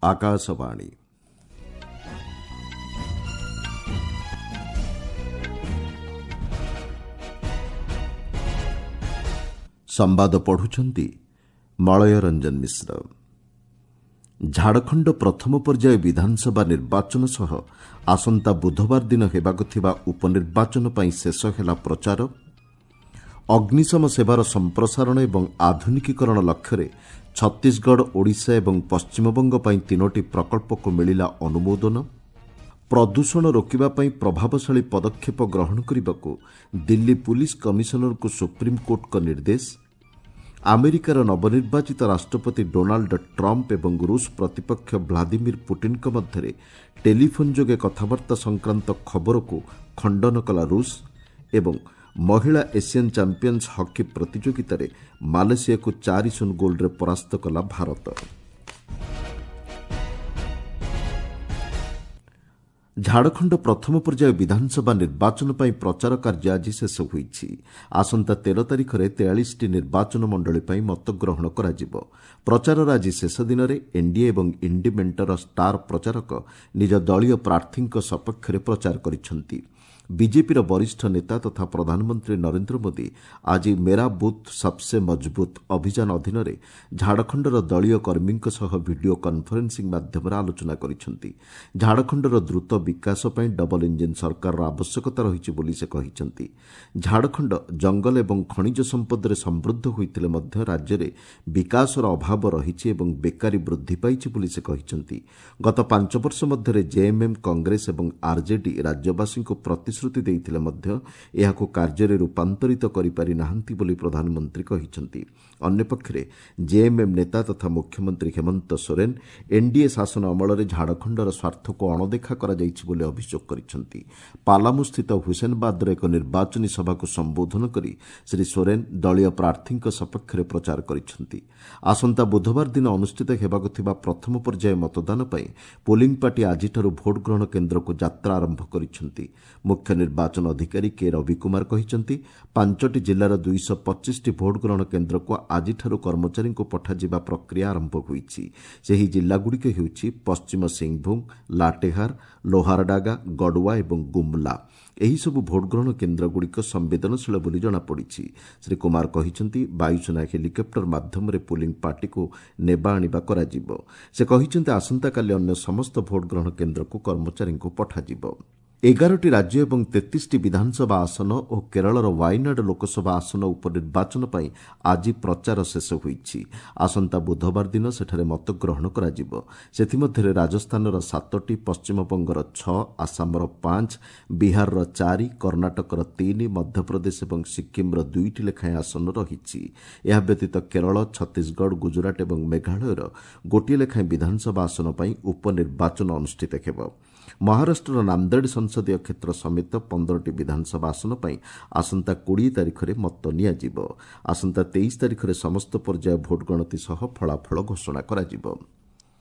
ଆକାଶବାଣୀ। ସମ୍ବାଦ ପଢ଼ୁଛନ୍ତି ମଳୟ ରଞ୍ଜନ ମିଶ୍ର। ଝାଡ଼ଖଣ୍ଡ ପ୍ରଥମ ପର୍ଯ୍ୟାୟ ବିଧାନସଭା ନିର୍ବାଚନ ସହ ଆସନ୍ତା ବୁଧବାର ଦିନ ହେବାକୁ ଥିବା ଉପନିର୍ବାଚନ ପାଇଁ ଶେଷ ହେଲା ପ୍ରଚାର। ଅଗ୍ନିଶମ ସେବାର ସମ୍ପ୍ରସାରଣ ଏବଂ ଆଧୁନିକୀକରଣ ଲକ୍ଷ୍ୟରେ ଛତିଶଗଡ଼, ଓଡ଼ିଶା ଏବଂ ପଶ୍ଚିମବଙ୍ଗ ପାଇଁ ତିନୋଟି ପ୍ରକଳ୍ପକୁ ମିଳିଲା ଅନୁମୋଦନ। ପ୍ରଦୂଷଣ ରୋକିବା ପାଇଁ ପ୍ରଭାବଶାଳୀ ପଦକ୍ଷେପ ଗ୍ରହଣ କରିବାକୁ ଦିଲ୍ଲୀ ପୁଲିସ୍ କମିଶନରଙ୍କୁ ସୁପ୍ରିମକୋର୍ଟଙ୍କ ନିର୍ଦ୍ଦେଶ। ଆମେରିକାର ନବନିର୍ବାଚିତ ରାଷ୍ଟ୍ରପତି ଡୋନାଲ୍ଡ ଟ୍ରମ୍ପ ଏବଂ ରୁଷ ପ୍ରତିପକ୍ଷ ଭ୍ଲାଦିମିର ପୁଟିନ୍ଙ୍କ ମଧ୍ୟରେ ଟେଲିଫୋନ୍ ଯୋଗେ କଥାବାର୍ତ୍ତା ସଂକ୍ରାନ୍ତ ଖବରକୁ ଖଣ୍ଡନ କଲା ରୁଷ। ଏବଂ ମହିଳା ଏସିଆନ୍ ଚାମ୍ପିୟନ୍ସ ହକି ପ୍ରତିଯୋଗିତାରେ ମାଲେସିଆକୁ 4-0 ଗୋଲ୍ରେ ପରାସ୍ତ କଲା ଭାରତ। ଝାଡ଼ଖଣ୍ଡ ପ୍ରଥମ ପର୍ଯ୍ୟାୟ ବିଧାନସଭା ନିର୍ବାଚନ ପାଇଁ ପ୍ରଚାର କାର୍ଯ୍ୟ ଆଜି ଶେଷ ହୋଇଛି। ଆସନ୍ତା 13 ତାରିଖରେ 43ଟି ନିର୍ବାଚନ ମଣ୍ଡଳୀ ପାଇଁ ମତଗ୍ରହଣ କରାଯିବ। ପ୍ରଚାରର ଆଜି ଶେଷ ଦିନରେ ଏନ୍ଡିଏ ଏବଂ ଇଣ୍ଡି ମେଣ୍ଟର ଷ୍ଟାର ପ୍ରଚାରକ ନିଜ ଦଳୀୟ ପ୍ରାର୍ଥୀଙ୍କ ସପକ୍ଷରେ ପ୍ରଚାର କରିଛନ୍ତି। ବିଜେପିର ବରିଷ୍ଠ ନେତା ତଥା ପ୍ରଧାନମନ୍ତ୍ରୀ ନରେନ୍ଦ୍ର ମୋଦି ଆଜି ମେରା ବୁଥ୍ ସବ୍ସେ ମଜବୁତ୍ ଅଭିଯାନ ଅଧୀନରେ ଝାଡ଼ଖଣ୍ଡର ଦଳୀୟ କର୍ମୀଙ୍କ ସହ ଭିଡିଓ କନ୍ଫରେନ୍ସିଂ ମାଧ୍ୟମରେ ଆଲୋଚନା କରିଛନ୍ତି। ଝାଡ଼ଖଣ୍ଡର ଦ୍ରୁତ ବିକାଶ ପାଇଁ ଡବଲ ଇଞ୍ଜିନ୍ ସରକାରର ଆବଶ୍ୟକତା ରହିଛି ବୋଲି ସେ କହିଛନ୍ତି। ଝାଡ଼ଖଣ୍ଡ ଜଙ୍ଗଲ ଏବଂ ଖଣିଜ ସମ୍ପଦରେ ସମୃଦ୍ଧ ହୋଇଥିଲେ ମଧ୍ୟ ରାଜ୍ୟରେ ବିକାଶର ଅଭାବ ରହିଛି ଏବଂ ବେକାରୀ ବୃଦ୍ଧି ପାଇଛି ବୋଲି ସେ କହିଛନ୍ତି। ଗତ 5 ବର୍ଷ ମଧ୍ୟରେ ଜେଏମ୍ଏମ୍, କଂଗ୍ରେସ ଏବଂ ଆର୍ଜେଡି ରାଜ୍ୟବାସୀଙ୍କୁ ପ୍ରତିଶ୍ରୁତି ଦେଇଥିଲେ ମଧ୍ୟ ଏହାକୁ କାର୍ଯ୍ୟରେ ରୂପାନ୍ତରିତ କରିପାରି ନାହାନ୍ତି ବୋଲି ପ୍ରଧାନମନ୍ତ୍ରୀ କହିଛନ୍ତି। ଅନ୍ୟପକ୍ଷରେ ଜେଏମ୍ଏମ୍ ନେତା ତଥା ମୁଖ୍ୟମନ୍ତ୍ରୀ ହେମନ୍ତ ସୋରେନ ଏନ୍ଡିଏ ଶାସନ ଅମଳରେ ଝାଡ଼ଖଣ୍ଡର ସ୍ୱାର୍ଥକୁ ଅଣଦେଖା କରାଯାଇଛି ବୋଲି ଅଭିଯୋଗ କରିଛନ୍ତି। ପାଲାମୁସ୍ଥିତ ହୁସେନବାଦର ଏକ ନିର୍ବାଚନୀ ସଭାକୁ ସମ୍ବୋଧନ କରି ଶ୍ରୀ ସୋରେନ ଦଳୀୟ ପ୍ରାର୍ଥୀଙ୍କ ସପକ୍ଷରେ ପ୍ରଚାର କରିଛନ୍ତି। ଆସନ୍ତା ବୁଧବାର ଦିନ ଅନୁଷ୍ଠିତ ହେବାକୁ ଥିବା ପ୍ରଥମ ପର୍ଯ୍ୟାୟ ମତଦାନ ପାଇଁ ପୋଲିଂ ପାର୍ଟି ଆଜିଠାରୁ ଭୋଟ ଗ୍ରହଣ କେନ୍ଦ୍ରକୁ ଯାତ୍ରା ଆରମ୍ଭ କରିଛନ୍ତି। ମୁଖ୍ୟ ନିର୍ବାଚନ ଅଧିକାରୀ କେ ରବି କୁମାର କହିଛନ୍ତି, 5ଟି ଜିଲ୍ଲାର 225ଟି ଭୋଟ ଗ୍ରହଣ କେନ୍ଦ୍ରକୁ ଆଜିଠାରୁ କର୍ମଚାରୀଙ୍କୁ ପଠାଯିବା ପ୍ରକ୍ରିୟା ଆରମ୍ଭ ହୋଇଛି। ସେହି ଜିଲ୍ଲାଗୁଡ଼ିକ ହେଉଛି ପଶ୍ଚିମ ସିଂଭୂମ, ଲାଟେହାର, ଲୋହାରଡାଗା, ଗଡ଼ୱା ଏବଂ ଗୁମ୍ଲା। ଏହିସବୁ ଭୋଟଗ୍ରହଣ କେନ୍ଦ୍ରଗୁଡ଼ିକ ସମ୍ବେଦନଶୀଳ ବୋଲି ଜଣାପଡ଼ିଛି। ଶ୍ରୀ କୁମାର କହିଛନ୍ତି, ବାୟୁସେନା ହେଲିକପ୍ଟର ମାଧ୍ୟମରେ ପୋଲିଂ ପାର୍ଟିକୁ ନେବା ଆଣିବା କରାଯିବ। ସେ କହିଛନ୍ତି, ଆସନ୍ତାକାଲି ଅନ୍ୟ ସମସ୍ତ ଭୋଟଗ୍ରହଣ କେନ୍ଦ୍ରକୁ କର୍ମଚାରୀଙ୍କୁ ପଠାଯିବ। 11ଟି ରାଜ୍ୟ ଏବଂ 33ଟି ବିଧାନସଭା ଆସନ ଓ କେରଳର ୱାଇନାଡ୍ ଲୋକସଭା ଆସନ ଉପନିର୍ବାଚନ ପାଇଁ ଆଜି ପ୍ରଚାର ଶେଷ ହୋଇଛି। ଆସନ୍ତା ବୁଧବାର ଦିନ ସେଠାରେ ମତଗ୍ରହଣ କରାଯିବ। ସେଥିମଧ୍ୟରେ ରାଜସ୍ଥାନର 7ଟି, ପଶ୍ଚିମବଙ୍ଗର 6, ଆସାମର 5, ବିହାରର 4, କର୍ଣ୍ଣାଟକର 3, ମଧ୍ୟପ୍ରଦେଶ ଏବଂ ସିକ୍କିମ୍ର 2ଟି ଲେଖାଏଁ ଆସନ ରହିଛି। ଏହା ବ୍ୟତୀତ କେରଳ, ଛତିଶଗଡ଼, ଗୁଜରାଟ ଏବଂ ମେଘାଳୟର ଗୋଟିଏ ଲେଖାଏଁ ବିଧାନସଭା ଆସନ ପାଇଁ ଉପନିର୍ବାଚନ ଅନୁଷ୍ଠିତ ହେବ। ମହାରାଷ୍ଟ୍ରର ନାନ୍ଦେଡ଼ ସଂସଦୀୟ କ୍ଷେତ୍ର ସମେତ 15ଟି ବିଧାନସଭା ଆସନ ପାଇଁ ଆସନ୍ତା 20 ତାରିଖରେ ମତ ନିଆଯିବ। ଆସନ୍ତା 23 ତାରିଖରେ ସମସ୍ତ ପର୍ଯ୍ୟାୟ ଭୋଟ ଗଣତି ସହ ଫଳାଫଳ ଘୋଷଣା କରାଯିବ।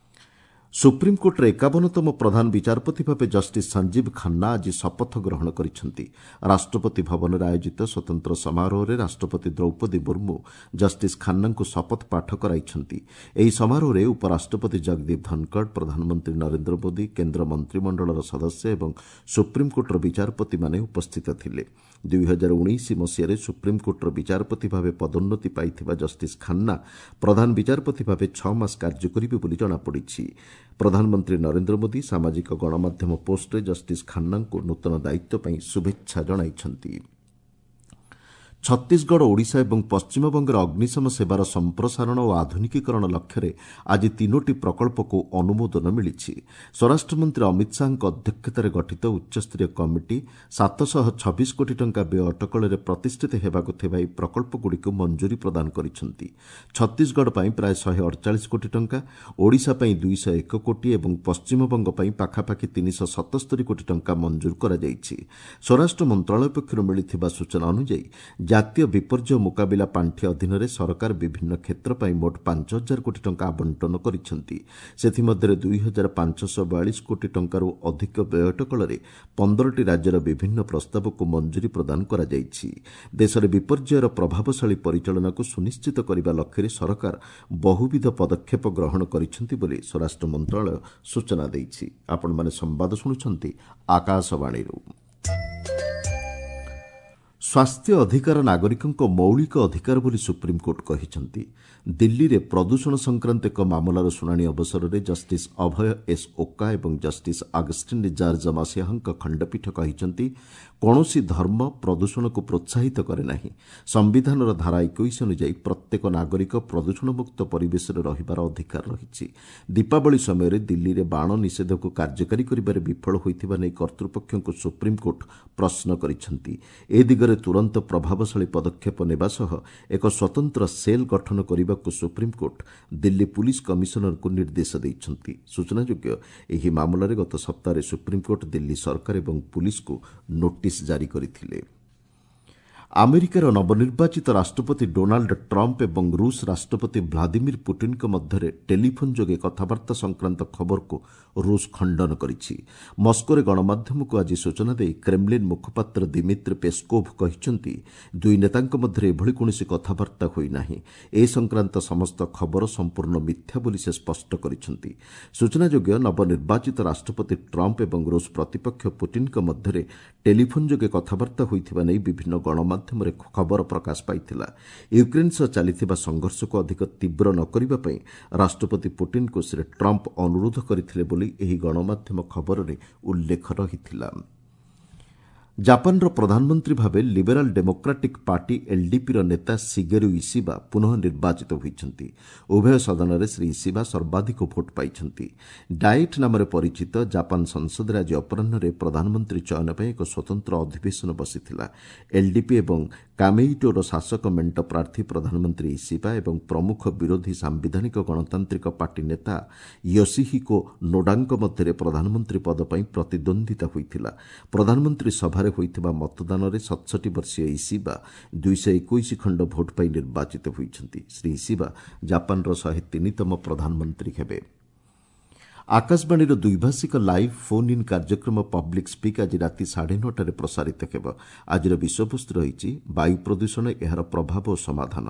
ସୁପ୍ରିମକୋର୍ଟର 51ତମ ପ୍ରଧାନ ବିଚାରପତି ଭାବେ ଜଷ୍ଟିସ୍ ସଞ୍ଜୀବ ଖାନ୍ନା ଆଜି ଶପଥ ଗ୍ରହଣ କରିଛନ୍ତି। ରାଷ୍ଟ୍ରପତି ଭବନରେ ଆୟୋଜିତ ସ୍ୱତନ୍ତ୍ର ସମାରୋହରେ ରାଷ୍ଟ୍ରପତି ଦ୍ରୌପଦୀ ମୁର୍ମୁ ଜଷ୍ଟିସ୍ ଖାନ୍ନାଙ୍କୁ ଶପଥ ପାଠ କରାଇଛନ୍ତି। ଏହି ସମାରୋହରେ ଉପରାଷ୍ଟ୍ରପତି ଜଗଦୀପ ଧନଖଡ଼, ପ୍ରଧାନମନ୍ତ୍ରୀ ନରେନ୍ଦ୍ର ମୋଦି, କେନ୍ଦ୍ର ମନ୍ତ୍ରିମଣ୍ଡଳର ସଦସ୍ୟ ଏବଂ ସୁପ୍ରିମକୋର୍ଟର ବିଚାରପତିମାନେ ଉପସ୍ଥିତ ଥିଲେ। 2019 ମସିହାରେ ସୁପ୍ରିମକୋର୍ଟର ବିଚାରପତି ଭାବେ ପଦୋନ୍ନତି ପାଇଥିବା ଜଷ୍ଟିସ୍ ଖାନ୍ନା ପ୍ରଧାନ ବିଚାରପତି ଭାବେ 6 ମାସ କାର୍ଯ୍ୟ କରିବେ ବୋଲି ଜଣାପଡ଼ିଛି। ପ୍ରଧାନମନ୍ତ୍ରୀ ନରେନ୍ଦ୍ର ମୋଦି ସାମାଜିକ ଗଣମାଧ୍ୟମ ପୋଷ୍ଟରେ ଜଷ୍ଟିସ୍ ଖାନ୍ନାଙ୍କୁ ନୂତନ ଦାୟିତ୍ୱ ପାଇଁ ଶୁଭେଚ୍ଛା ଜଣାଇଛନ୍ତି। ଛତିଶଗଡ଼, ଓଡ଼ିଶା ଏବଂ ପଶ୍ଚିମବଙ୍ଗରେ ଅଗ୍ନିଶମ ସେବାର ସମ୍ପ୍ରସାରଣ ଓ ଆଧୁନିକୀକରଣ ଲକ୍ଷ୍ୟରେ ଆଜି ତିନୋଟି ପ୍ରକଳ୍ପକୁ ଅନୁମୋଦନ ମିଳିଛି। ସ୍ୱରାଷ୍ଟ୍ରମନ୍ତ୍ରୀ ଅମିତ ଶାହାଙ୍କ ଅଧ୍ୟକ୍ଷତାରେ ଗଠିତ ଉଚ୍ଚସ୍ତରୀୟ କମିଟି 726 କୋଟି ଟଙ୍କା ବ୍ୟୟ ଅଟକଳରେ ପ୍ରତିଷ୍ଠିତ ହେବାକୁ ଥିବା ଏହି ପ୍ରକଳ୍ପଗୁଡ଼ିକୁ ମଞ୍ଜୁରୀ ପ୍ରଦାନ କରିଛନ୍ତି। ଛତିଶଗଡ଼ ପାଇଁ ପ୍ରାୟ 148 କୋଟି ଟଙ୍କା, ଓଡ଼ିଶା ପାଇଁ 201 କୋଟି ଏବଂ ପଶ୍ଚିମବଙ୍ଗ ପାଇଁ ପାଖାପାଖି 377 କୋଟି ଟଙ୍କା ମଞ୍ଜୁର କରାଯାଇଛି। ସ୍ୱରାଷ୍ଟ୍ର ମନ୍ତ୍ରଣାଳୟ ପକ୍ଷରୁ ମିଳିଥିବା ସୂଚନା ଅନୁଯାୟୀ ଜାତୀୟ ବିପର୍ଯ୍ୟୟ ମୁକାବିଲା ପାଣ୍ଠି ଅଧୀନରେ ସରକାର ବିଭିନ୍ନ କ୍ଷେତ୍ର ପାଇଁ ମୋଟ 5,000 କୋଟି ଟଙ୍କା ଆବଣ୍ଟନ କରିଛନ୍ତି। ସେଥିମଧ୍ୟରେ 2,542 କୋଟି ଟଙ୍କାରୁ ଅଧିକ ବ୍ୟୟ ଅଟକଳରେ 15ଟି ରାଜ୍ୟର ବିଭିନ୍ନ ପ୍ରସ୍ତାବକୁ ମଞ୍ଜୁରୀ ପ୍ରଦାନ କରାଯାଇଛି। ଦେଶରେ ବିପର୍ଯ୍ୟୟର ପ୍ରଭାବଶାଳୀ ପରିଚାଳନାକୁ ସୁନିଶ୍ଚିତ କରିବା ଲକ୍ଷ୍ୟରେ ସରକାର ବହୁବିଧ ପଦକ୍ଷେପ ଗ୍ରହଣ କରିଛନ୍ତି ବୋଲି ସ୍ୱରାଷ୍ଟ୍ର ମନ୍ତ୍ରଣାଳୟ ସୂଚନା ଦେଇଛି। ଆପଣମାନେ ସମ୍ବାଦ ଶୁଣୁଛନ୍ତି ଆକାଶବାଣୀରୁ। ସ୍ୱାସ୍ଥ୍ୟ ଅଧିକାର ନାଗରିକଙ୍କ ମୌଳିକ ଅଧିକାର ବୋଲି ସୁପ୍ରିମକୋର୍ଟ କହିଛନ୍ତି। ଦିଲ୍ଲୀରେ ପ୍ରଦୂଷଣ ସଂକ୍ରାନ୍ତ ଏକ ମାମଲାର ଶୁଣାଣି ଅବସରରେ ଜଷ୍ଟିସ୍ ଅଭୟ ଏସ୍ ଓକା ଏବଂ ଜଷ୍ଟିସ୍ ଅଗଷ୍ଟିନ୍ ଜର୍ଜ ମସିହାଙ୍କ ଖଣ୍ଡପୀଠ କହିଛନ୍ତି, କୌଣସି ଧର୍ମ ପ୍ରଦୂଷଣକୁ ପ୍ରୋତ୍ସାହିତ କରେ ନାହିଁ। ସମ୍ବିଧାନର ଧାରା 21 ଅନୁଯାୟୀ ପ୍ରତ୍ୟେକ ନାଗରିକ ପ୍ରଦୂଷଣମୁକ୍ତ ପରିବେଶରେ ରହିବାର ଅଧିକାର ରହିଛି। ଦୀପାବଳି ସମୟରେ ଦିଲ୍ଲୀରେ ବାଣ ନିଷେଧକୁ କାର୍ଯ୍ୟକାରୀ କରିବାରେ ବିଫଳ ହୋଇଥିବା ନେଇ କର୍ତ୍ତୃପକ୍ଷଙ୍କୁ ସୁପ୍ରିମକୋର୍ଟ ପ୍ରଶ୍ନ କରିଛନ୍ତି। ଏ ଦିଗରେ ତୁରନ୍ତ ପ୍ରଭାବଶାଳୀ ପଦକ୍ଷେପ ନେବା ସହ ଏକ ସ୍ୱତନ୍ତ୍ର ସେଲ୍ ଗଠନ କରିବାକୁ ସୁପ୍ରିମକୋର୍ଟ ଦିଲ୍ଲୀ ପୁଲିସ୍ କମିଶନରଙ୍କୁ ନିର୍ଦ୍ଦେଶ ଦେଇଛନ୍ତି। ସୂଚନାଯୋଗ୍ୟ, ଏହି ମାମଲାରେ ଗତ ସପ୍ତାହରେ ସୁପ୍ରିମକୋର୍ଟ ଦିଲ୍ଲୀ ସରକାର ଏବଂ ପୁଲିସ୍କୁ ନୋଟିସ୍ ଜାରି କରିଥିଲେ। ଆମେରିକାର ନବନିର୍ବାଚିତ ରାଷ୍ଟ୍ରପତି ଡୋନାଲ୍ଡ ଟ୍ରମ୍ପ ଏବଂ ରୁଷ ରାଷ୍ଟ୍ରପତି ଭ୍ଲାଦିମିର ପୁଟିନ୍ଙ୍କ ମଧ୍ୟରେ ଟେଲିଫୋନ୍ ଯୋଗେ କଥାବାର୍ତ୍ତା ସଂକ୍ରାନ୍ତ ଖବରକୁ ରୁଷ ଖଣ୍ଡନ କରିଛି। ମସ୍କୋରେ ଗଣମାଧ୍ୟମକୁ ଆଜି ସୂଚନା ଦେଇ କ୍ରେମଲିନ୍ ମୁଖପାତ୍ର ଦିମିତ୍ରି ପେସ୍କୋଭ୍ କହିଛନ୍ତି, ଦୁଇ ନେତାଙ୍କ ମଧ୍ୟରେ ଏଭଳି କୌଣସି କଥାବାର୍ତ୍ତା ହୋଇନାହିଁ। ଏ ସଂକ୍ରାନ୍ତ ସମସ୍ତ ଖବର ସମ୍ପୂର୍ଣ୍ଣ ମିଥ୍ୟା ବୋଲି ସେ ସ୍ପଷ୍ଟ କରିଛନ୍ତି। ସୂଚନାଯୋଗ୍ୟ, ନବନିର୍ବାଚିତ ରାଷ୍ଟ୍ରପତି ଟ୍ରମ୍ପ ଏବଂ ରୁଷ ପ୍ରତିପକ୍ଷ ପୁଟିନ୍ଙ୍କ ମଧ୍ୟରେ ଟେଲିଫୋନ୍ ଯୋଗେ କଥାବାର୍ତ୍ତା ହୋଇଥିବା ନେଇ ବିଭିନ୍ନ ଗଣମାଧ୍ୟମରେ ଖବର ପ୍ରକାଶ ପାଇଥିଲା। ୟୁକ୍ରେନ୍ ସହ ଚାଲିଥିବା ସଂଘର୍ଷକୁ ଅଧିକ ତୀବ୍ର ନ କରିବା ପାଇଁ ରାଷ୍ଟ୍ରପତି ପୁଟିନ୍ଙ୍କୁ ଶ୍ରୀ ଟ୍ରମ୍ପ ଅନୁରୋଧ କରିଥିଲେ ବୋଲି ଏହି ଗଣମାଧ୍ୟମ ଖବରରେ ଉଲ୍ଲେଖ ରହିଥିଲା। ଜାପାନର ପ୍ରଧାନମନ୍ତ୍ରୀ ଭାବେ ଲିବେରାଲ୍ ଡେମୋକ୍ରାଟିକ୍ ପାର୍ଟି ଏଲ୍ଡିପିର ନେତା ସିଗେରୁ ଇସିବା ପୁନଃ ନିର୍ବାଚିତ ହୋଇଛନ୍ତି। ଉଭୟ ସଦନରେ ଶ୍ରୀ ଇସିବା ସର୍ବାଧିକ ଭୋଟ୍ ପାଇଛନ୍ତି। ଡାଏଟ୍ ନାମରେ ପରିଚିତ ଜାପାନ ସଂସଦରେ ଆଜି ଅପରାହ୍ନରେ ପ୍ରଧାନମନ୍ତ୍ରୀ ଚୟନ ପାଇଁ ଏକ ସ୍ୱତନ୍ତ୍ର ଅଧିବେଶନ ବସିଥିଲା। ଏଲ୍ଡିପି ଏବଂ କାମେଇଟୋର ଶାସକ ମେଣ୍ଟ ପ୍ରାର୍ଥୀ ପ୍ରଧାନମନ୍ତ୍ରୀ ଇସିବା ଏବଂ ପ୍ରମୁଖ ବିରୋଧୀ ସାମ୍ବିଧାନିକ ଗଣତାନ୍ତ୍ରିକ ପାର୍ଟି ନେତା ୟୋଶିହିକୋ ନୋଡାଙ୍କ ମଧ୍ୟରେ ପ୍ରଧାନମନ୍ତ୍ରୀ ପଦ ପାଇଁ ପ୍ରତିଦ୍ୱନ୍ଦ୍ୱିତା ହୋଇଥିଲା। ପ୍ରଧାନମନ୍ତ୍ରୀ ସଭାରେ ହୋଇଥିବା ମତଦାନରେ 67 ବର୍ଷୀୟ ଇସିବା 221 ଖଣ୍ଡ ଭୋଟ୍ ପାଇ ନିର୍ବାଚିତ ହୋଇଛନ୍ତି। ଶ୍ରୀ ଇସିବା ଜାପାନର 103ତମ ପ୍ରଧାନମନ୍ତ୍ରୀ ହେବେ। ଆକାଶବାଣୀର ଦ୍ୱିଭାଷିକ ଲାଇଭ୍ ଫୋନ୍ ଇନ୍ କାର୍ଯ୍ୟକ୍ରମ ପବ୍ଲିକ୍ ସ୍ପିକ୍ ଆଜି ରାତି 9:30ରେ ପ୍ରସାରିତ ହେବ। ଆଜିର ବିଷୟବସ୍ତୁ ରହିଛି ବାୟୁ ପ୍ରଦୂଷଣ, ଏହାର ପ୍ରଭାବ ଓ ସମାଧାନ।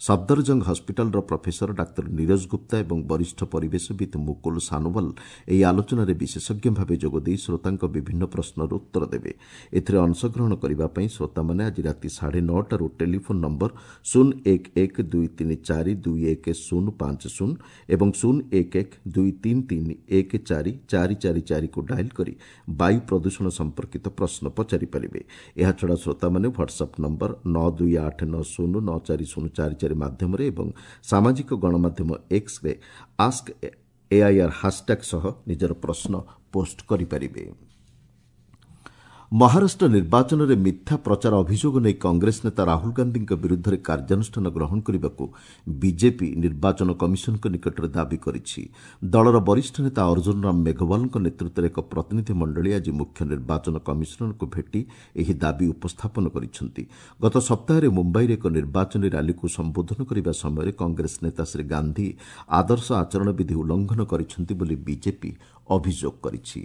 ସଫଦରଜଙ୍ଗ ହସ୍ପିଟାଲର ପ୍ରଫେସର ଡାକ୍ତର ନିରଜ ଗୁପ୍ତା ଏବଂ ବରିଷ୍ଠ ପରିବେଶବିତ୍ ମୁକୁଲ ସାନୋୱାଲ ଏହି ଆଲୋଚନାରେ ବିଶେଷଜ୍ଞ ଭାବେ ଯୋଗଦେଇ ଶ୍ରୋତାଙ୍କ ବିଭିନ୍ନ ପ୍ରଶ୍ନର ଉତ୍ତର ଦେବେ। ଏଥିରେ ଅଂଶଗ୍ରହଣ କରିବା ପାଇଁ ଶ୍ରୋତାମାନେ ଆଜି ରାତି 9:30ରୁ ଟେଲିଫୋନ୍ ନମ୍ବର 0 1 1 2 3 4 2 1 0 5 0 ଏବଂ 0 1 1 2 3 3 1 4 4 4 4କୁ ଡାଏଲ୍ କରି ବାୟୁ ପ୍ରଦୂଷଣ ସମ୍ପର୍କିତ ପ୍ରଶ୍ନ ପଚାରିପାରିବେ। ଏହାଛଡ଼ା ଶ୍ରୋତାମାନେ ହ୍ୱାଟ୍ସଆପ୍ ନମ୍ବର 9 2 8 9 0 9 4 0 4 4 ମାଧ୍ୟମରେ ଏବଂ ସାମାଜିକ ଗଣମାଧ୍ୟମ ଏକ୍ସରେ ଆସ୍କ ଏଆଇଆର୍ ହାସ୍ଟ୍ୟାଗ୍ ସହ ନିଜର ପ୍ରଶ୍ନ ପୋଷ୍ଟ କରିପାରିବେ। ମହାରାଷ୍ଟ୍ର ନିର୍ବାଚନରେ ମିଥ୍ୟା ପ୍ରଚାର ଅଭିଯୋଗ ନେଇ କଂଗ୍ରେସ ନେତା ରାହୁଲ ଗାନ୍ଧୀଙ୍କ ବିରୁଦ୍ଧରେ କାର୍ଯ୍ୟାନୁଷ୍ଠାନ ଗ୍ରହଣ କରିବାକୁ ବିଜେପି ନିର୍ବାଚନ କମିଶନଙ୍କ ନିକଟରେ ଦାବି କରିଛି। ଦଳର ବରିଷ୍ଠ ନେତା ଅର୍ଜୁନ ରାମ ମେଘୱାଲଙ୍କ ନେତୃତ୍ୱରେ ଏକ ପ୍ରତିନିଧି ମଣ୍ଡଳୀ ଆଜି ମୁଖ୍ୟ ନିର୍ବାଚନ କମିଶନରଙ୍କୁ ଭେଟି ଏହି ଦାବି ଉପସ୍ଥାପନ କରିଛନ୍ତି। ଗତ ସପ୍ତାହରେ ମୁମ୍ବାଇରେ ଏକ ନିର୍ବାଚନୀ ର୍ୟାଲିକୁ ସମ୍ବୋଧନ କରିବା ସମୟରେ କଂଗ୍ରେସ ନେତା ଶ୍ରୀ ଗାନ୍ଧୀ ଆଦର୍ଶ ଆଚରଣ ବିଧି ଉଲ୍ଲଂଘନ କରିଛନ୍ତି ବୋଲି ବିଜେପି ଅଭିଯୋଗ କରିଛି।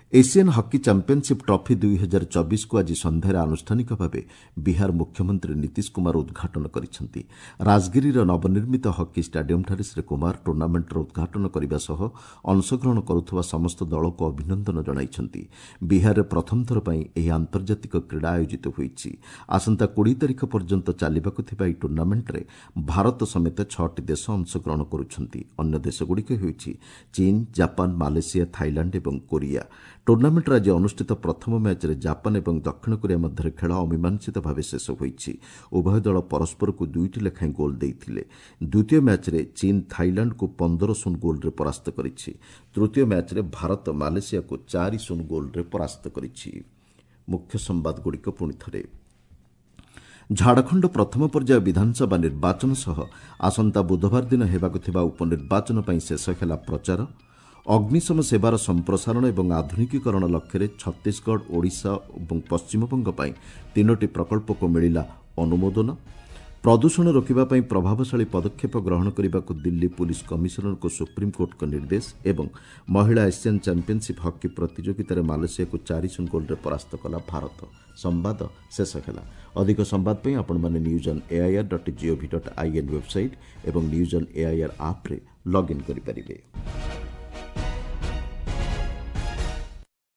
ଏସିଆନ୍ ହକି ଚାମ୍ପିୟନସିପ୍ ଟ୍ରଫି 2024କୁ ଆଜି ସନ୍ଧ୍ୟାରେ ଆନୁଷ୍ଠାନିକ ଭାବେ ବିହାର ମୁଖ୍ୟମନ୍ତ୍ରୀ ନୀତିଶ କୁମାର ଉଦ୍ଘାଟନ କରିଛନ୍ତି। ରାଜଗିରିର ନବନିର୍ମିତ ହକି ଷ୍ଟାଡିୟମ୍ଠାରେ ଶ୍ରୀ କୁମାର ଟୁର୍ଣ୍ଣାମେଣ୍ଟର ଉଦ୍ଘାଟନ କରିବା ସହ ଅଂଶଗ୍ରହଣ କରୁଥିବା ସମସ୍ତ ଦଳକୁ ଅଭିନନ୍ଦନ ଜଣାଇଛନ୍ତି। ବିହାରରେ ପ୍ରଥମ ଥର ପାଇଁ ଏହି ଆନ୍ତର୍ଜାତିକ କ୍ରୀଡ଼ା ଆୟୋଜିତ ହୋଇଛି। ଆସନ୍ତା 20 ତାରିଖ ପର୍ଯ୍ୟନ୍ତ ଚାଲିବାକୁ ଥିବା ଏହି ଟୁର୍ଣ୍ଣାମେଣ୍ଟରେ ଭାରତ ସମେତ 6ଟି ଦେଶ ଅଂଶଗ୍ରହଣ କରୁଛନ୍ତି। ଅନ୍ୟ ଦେଶଗୁଡ଼ିକ ହେଉଛି ଚୀନ, ଜାପାନ, ମାଲେସିଆ, ଥାଇଲାଣ୍ଡ ଏବଂ କୋରିଆ। ଟୁର୍ଣ୍ଣାମେଣ୍ଟର ଆଜି ଅନୁଷ୍ଠିତ ପ୍ରଥମ ମ୍ୟାଚ୍ରେ ଜାପାନ ଏବଂ ଦକ୍ଷିଣ କୋରିଆ ମଧ୍ୟରେ ଖେଳ ଅମୀମାଂସିତ ଭାବେ ଶେଷ ହୋଇଛି। ଉଭୟ ଦଳ ପରସ୍ପରକୁ 2ଟି ଲେଖାଏଁ ଗୋଲ୍ ଦେଇଥିଲେ। ଦ୍ୱିତୀୟ ମ୍ୟାଚ୍ରେ ଚୀନ ଥାଇଲାଣ୍ଡକୁ 15-0 ଗୋଲ୍ରେ ପରାସ୍ତ କରିଛି। ତୃତୀୟ ମ୍ୟାଚ୍ରେ ଭାରତ ମାଲେସିଆକୁ 4-0 ଗୋଲ୍ରେ ପରାସ୍ତ କରିଛି। ମୁଖ୍ୟ ସମ୍ବାଦଗୁଡ଼ିକ ପୁଣି ଥରେ। ଝାଡ଼ଖଣ୍ଡ ପ୍ରଥମ ପର୍ଯ୍ୟାୟ ବିଧାନସଭା ନିର୍ବାଚନ ସହ ଆସନ୍ତା ବୁଧବାର ଦିନ ହେବାକୁ ଥିବା ଉପନିର୍ବାଚନ ପାଇଁ ଶେଷ ହେଲା ପ୍ରଚାର। ଅଗ୍ନିଶମ ସେବାର ସମ୍ପ୍ରସାରଣ ଏବଂ ଆଧୁନିକୀକରଣ ଲକ୍ଷ୍ୟରେ ଛତିଶଗଡ଼, ଓଡ଼ିଶା ଏବଂ ପଶ୍ଚିମବଙ୍ଗ ପାଇଁ 3ଟି ପ୍ରକଳ୍ପକୁ ମିଳିଲା ଅନୁମୋଦନ। ପ୍ରଦୂଷଣ ରୋକିବା ପାଇଁ ପ୍ରଭାବଶାଳୀ ପଦକ୍ଷେପ ଗ୍ରହଣ କରିବାକୁ ଦିଲ୍ଲୀ ପୁଲିସ୍ କମିଶନରଙ୍କୁ ସୁପ୍ରିମକୋର୍ଟଙ୍କ ନିର୍ଦ୍ଦେଶ। ଏବଂ ମହିଳା ଏସିଆନ୍ ଚାମ୍ପିୟନସିପ୍ ହକି ପ୍ରତିଯୋଗିତାରେ ମାଲେସିଆକୁ 4-0 ଗୋଲ୍ରେ ପରାସ୍ତ କଲା ଭାରତ। ସମ୍ବାଦ ଶେଷ ହେଲା। ଅଧିକ ସମ୍ବାଦ ପାଇଁ ଆପଣମାନେ news on AIR dot GOV dot IN website ଏବଂ ନ୍ୟୁଜ୍ ଅନ୍ ଏଆଇଆର୍ ଆପ୍ରେ ଲଗ୍ଇନ୍ କରିପାରିବେ।